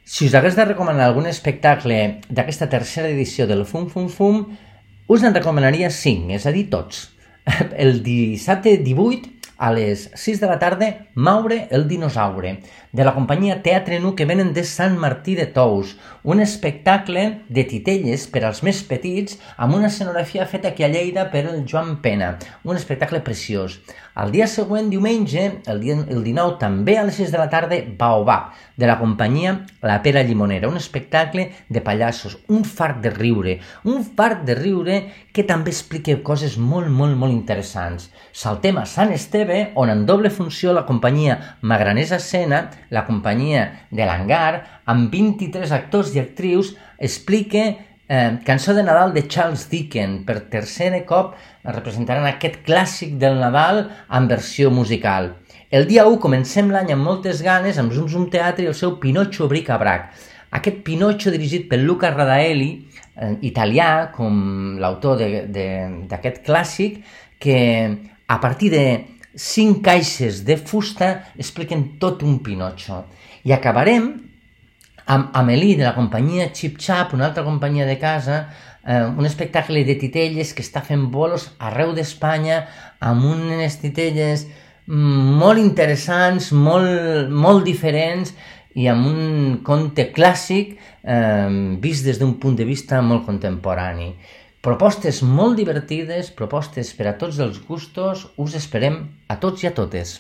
Si us hagués de recomanar algun espectacle d'aquesta tercera edició del Fum Fum Fum, us en recomanaria 5, és a dir, tots. El dissabte 18, a les 6 de la tarda, Maure el dinosaure, de la companyia Teatre Nu, que venen de Sant Martí de Tous, un espectacle de titelles per als més petits amb una escenografia feta aquí a Lleida per el Joan Pena, un espectacle preciós. El dia següent, diumenge, el 19, també a les 6 de la tarda, Baobab, de la companyia La Pera Llimonera, un espectacle de pallassos, un fart de riure que també explica coses molt interessants. Saltem a Sant Esteve, on en doble funció la companyia Magranesa Escena, la companyia de l'Hangar, amb 23 actors i actrius, explica Cançó de Nadal de Charles Dickens. Per tercer cop representaran aquest clàssic del Nadal en versió musical. El dia 1 comencem l'any amb moltes ganes amb Zum Zum Teatre i el seu Pinocchio Bric-a-Brac. Aquest Pinocchio dirigit per Luca Radaelli, italià, com l'autor d'aquest clàssic, que a partir de 5 caixes de fusta expliquen tot un Pinocchio. I acabarem amb Amélie, de la companyia Chip Chap, una altra companyia de casa, un espectacle de titelles que està fent bolos arreu d'Espanya, amb unes titelles molt interessants, molt diferents, i amb un conte clàssic vist des d'un punt de vista molt contemporani. Propostes molt divertides, propostes per a tots els gustos, us esperem a tots i a totes.